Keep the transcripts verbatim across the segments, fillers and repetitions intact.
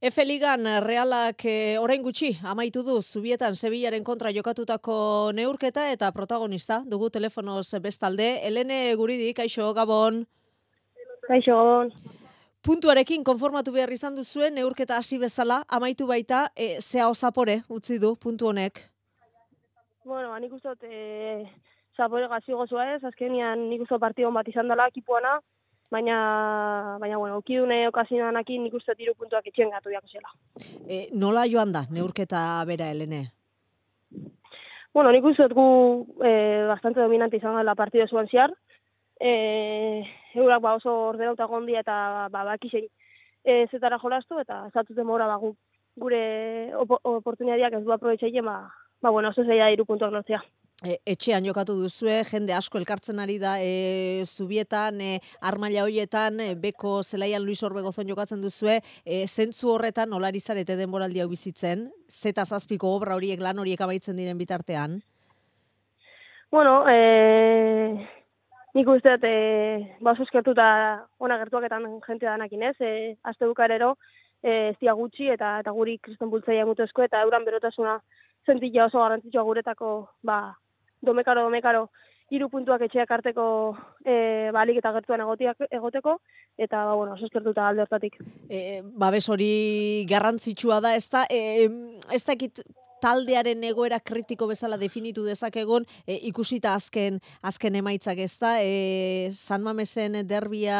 Efe Ligan Realak eh, orain gutxi amaitu du Zubietan Sevillaren kontra jokatutako neurketa eta protagonista dugu telefonoz bestalde. Helene Guridi, kaixo, Gabon. Kaixo, Gabon. Puntuarekin konformatu behar izan duzuen neurketa hasi bezala amaitu baita e, zea osapore utzi du puntu honek. Bueno, nik uste dut e, zapore gazi gozoa ez, azkenian nik uste dut partidon bat izan dela ekipuana, baina, baina bueno, okidune okazionanekin nik uste dut hiru puntuak etxen gatu diako zela. E, nola joan da neurketa bera, Helene? Bueno, nik uste dut gu e, bastante dominante izan dela partido zuen ziar, e, eurak ba oso ordenauta gondia eta ba, bakixen e, zetara jolastu eta zatuten mora ba, gu, gure op oportunidadiak ez du aprobetxeien, ba, ba bueno, oso zeia hiru puntuak lortzea. E, etxean jokatu duzue, jende asko elkartzen ari da e, Zubietan, e, armaila hoietan, e, beko zelaian Luis Orbegozon jokatzen duzue, e, zentzu horretan nolari zarete denboraldi hau bizitzen, zeta zazpiko obra horiek lan horiek amaitzen diren bitartean? Bueno, e, nik uste dut, e, ba oso eskertuta ona gertuaketan jente danakin ez, e, azte bukarero, e, ez dia gutxi eta eta guri kriston bultzaia mutuesko eta euran berotasuna zentia oso garrantzitsua guretako, ba, domekaro, domekaro, hiru puntuak etxeak arteko e, balik eta gertuan egotiak, egoteko, eta, ba, bueno, oso eskertuta alde hortatik. E, babes hori garrantzitsua da, ez da, e, ez dakit taldearen egoera kritiko bezala definitu dezakegun, e, ikusita azken azken emaitzak, ez da, e, San Mamesen derbia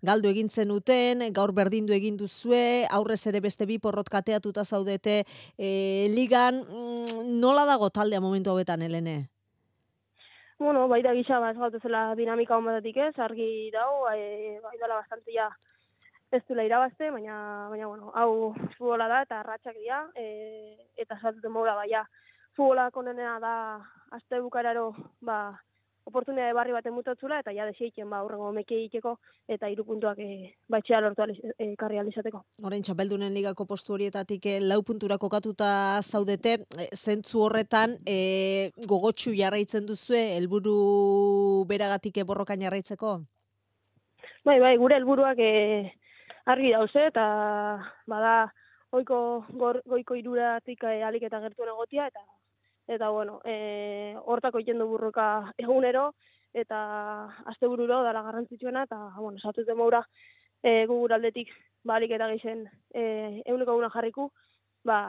galdu egin zenuten, gaur berdindu egin duzue, aurrez ere beste bi porrot kateatuta zaudete e, ligan, mm, nola dago taldea momentu hauetan, Helene? Bueno, baita gisa, ba, ez gautezela dinamika hon batetik ez, argi dau, e, bai dela bastante ja ez duela irabazte, baina, baina bueno, hau futbola da eta ratxak dira, e, eta saltuten moura, baina futbola konenea da azte bukararo, ba, oportunidade barri baten mutatzula, eta ja deseiken, ba, urrengo meke egiteko, eta hiru puntuak e, baitxea lortu aliz, e, karri alizateko. Orain txapeldunen ligako postu horietatik eh, lau puntura kokatuta zaudete, eh, zentzu horretan eh, gogotsu jarraitzen duzue, helburu beragatik eh, borrokan jarraitzeko? Bai, bai, gure helburuak e, argi dauze, eta bada oiko gor, goiko iruratik e, alik eta gertuen egotia, eta eta bueno, e, hortako egiten du burruka egunero, eta astebururo dala garrantzitsuena, eta bueno, satuten moura e, gugur aldetik balik eta geixen e, eguneko eguna jarriku, ba,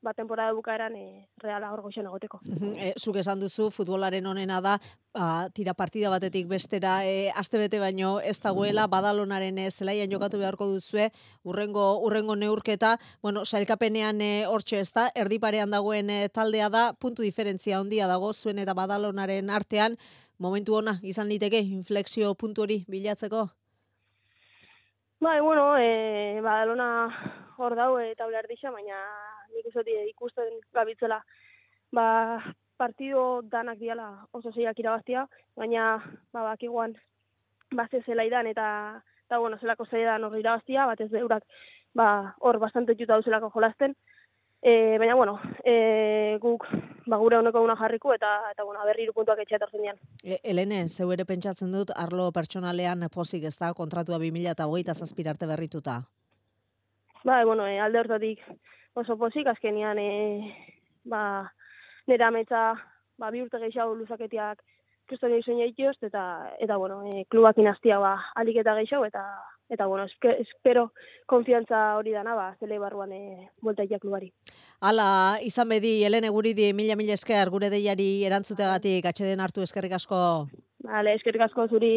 ba temporada bukaeran e, reala hor goxen egoteko. E, zuk esan duzu, futbolaren onena da, ba, tira partida batetik bestera, e, astebete baino ez dagoela, Badalonaren e, zelaian jokatu beharko duzue, urrengo, urrengo neurketa, bueno, sailkapenean e, hortxe ez da, erdiparean dagoen e, taldea da, puntu diferentzia handia dago, zuen eta Badalonaren artean, momentu ona, izan liteke, inflexio puntu hori bilatzeko? Bai, bueno, e, Badalona hor dau eta uler disa, baina nik uste ikusten gabitzela, ba, partido danak diala oso zeiak irabaztia, baina ba, bakiguan baze zela idan eta, eta bueno, zelako zeidan hor irabaztia, batez eurak ba, hor bastante juta duzelako jolasten, e, baina bueno, e, guk ba, gure honeko una jarriku eta, eta bueno, berri hiru puntuak etxea etortzen dian. E, Helene, zeu ere pentsatzen dut, arlo pertsonalean pozik ez da, kontratua bi mila hogeita zazpi arte berrituta. Ba, bueno, e, alde hortatik oso pozik, azkenian e, ba, nera ametsa ba, bi urte gehiago luzaketiak kriston egin egitioz, eta, eta bueno, e, klubak inaztia ba, alik eta gehiago, eta, eta bueno, espe, espero konfiantza hori dana, ba, zele barruan e, bueltaikia klubari. Hala, izan bedi, Helene Guridi, mila mila esker, gure deiari erantzutegatik, atxeden hartu eskerrik asko. Vale, eskerrik asko zuri.